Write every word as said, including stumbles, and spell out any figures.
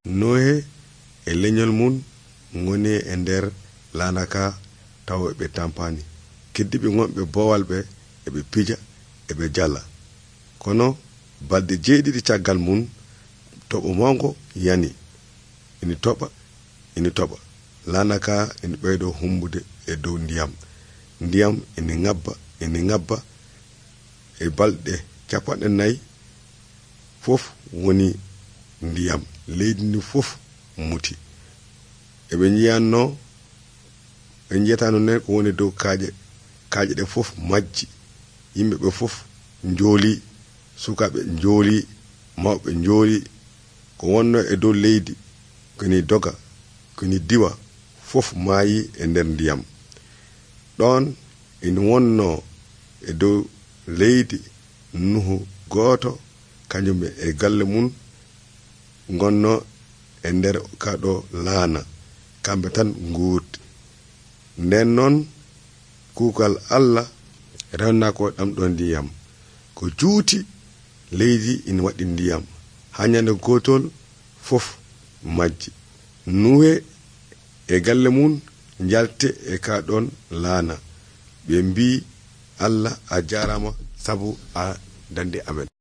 Nohe e leñol mun ngoni e nder laana ka taw ɓe tampani. Keddiɓe wonɓe bowal ɓe eɓe pija eɓe jala. Kono balɗe jeeɗiɗi caggal mun toɓo mango yani. Ina toɓa ina toɓa. Laana ka ina ɓeydo humbude e dow ndiyam. Ndiyam ina ngabba ina ngabba e balɗe capanɗe nayi fof woni ndiyam. Leydi ndi fof muti. Eɓe jiyanno ɓe jiyatano nen ko woni dow kaaƴe kaaƴe ɗe fof majji. Yimɓe ɓe fof njooli, sukaɓe njooli, mawɓe njooli. Ko wonno e dow leydi koni doga koni diwa fof maayi e nder ndiyam. Ɗon ina wonno e dow leydi Nuhu gooto kañum e galle mun gonno e nder kaɗo laana. Kamɓe tan nguurdi. Nden noon kuugal Allah rewna ko ɗam ɗo ndiyam ko juuti leydi ina waɗi ndiyam haa ñande gootol fof majji. Nuhe e galle mun jalte e kaɗon laana. Ɓe mbi Allah a jarama sabu a dandi amen.